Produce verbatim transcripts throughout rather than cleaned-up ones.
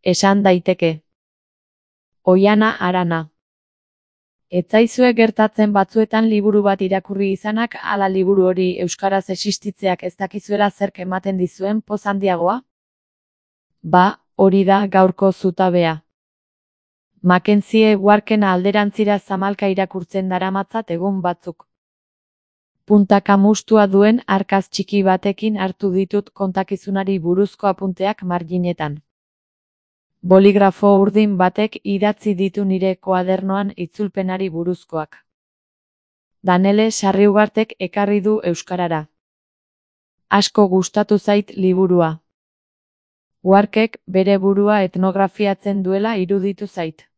Esan daiteke. Oihana Arana. Ez zaizue gertatzen batzuetan liburu bat irakurri izanak ala liburu hori euskaraz existitzeak ez dakizuela zerk ematen dizuen poz handiagoa? Ba, hori da gaurko zutabea. Mackenzie Warken alderantzira zamalka irakurtzen daramatzat egun batzuk. Puntaka mustua duen arkaz txiki batekin hartu ditut kontakizunari buruzko apunteak marginetan. Boligrafo urdin batek idatzi ditu nire koadernoan itzulpenari buruzkoak. Danele Sarriugartek ekarri du euskarara. Asko gustatu zait liburua. Warkek bere burua etnografiatzen duela iruditu zait.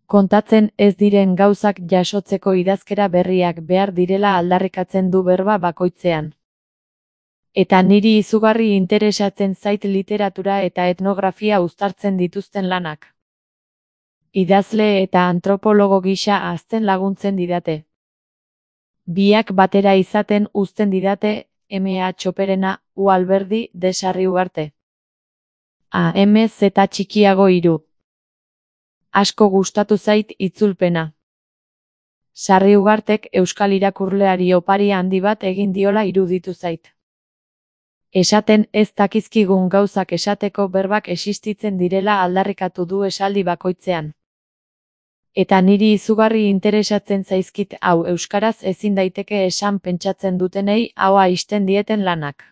Kontatzen ez diren gauzak jasotzeko idazkera berriak behar direla aldarrikatzen du berba bakoitzean. Eta niri izugarri interesatzen zait literatura eta etnografia uztartzen dituzten lanak. Idazle eta antropologo gisa hazten laguntzen didate. Biak batera izaten uzten didate M A Txoperena, U Alberdi de Sarriugarte. A M Z txikiago hiru. Asko gustatu zait itzulpena. Sarriugartek euskal irakurleari opari handi bat egin diola iruditu zait. Esaten ez dakizkigun gauzak esateko berbak existitzen direla aldarrikatu du esaldi bakoitzean. Eta niri izugarri interesatzen zaizkit hau euskaraz ezin daiteke esan pentsatzen dutenei ahoa ixten dieten lanak.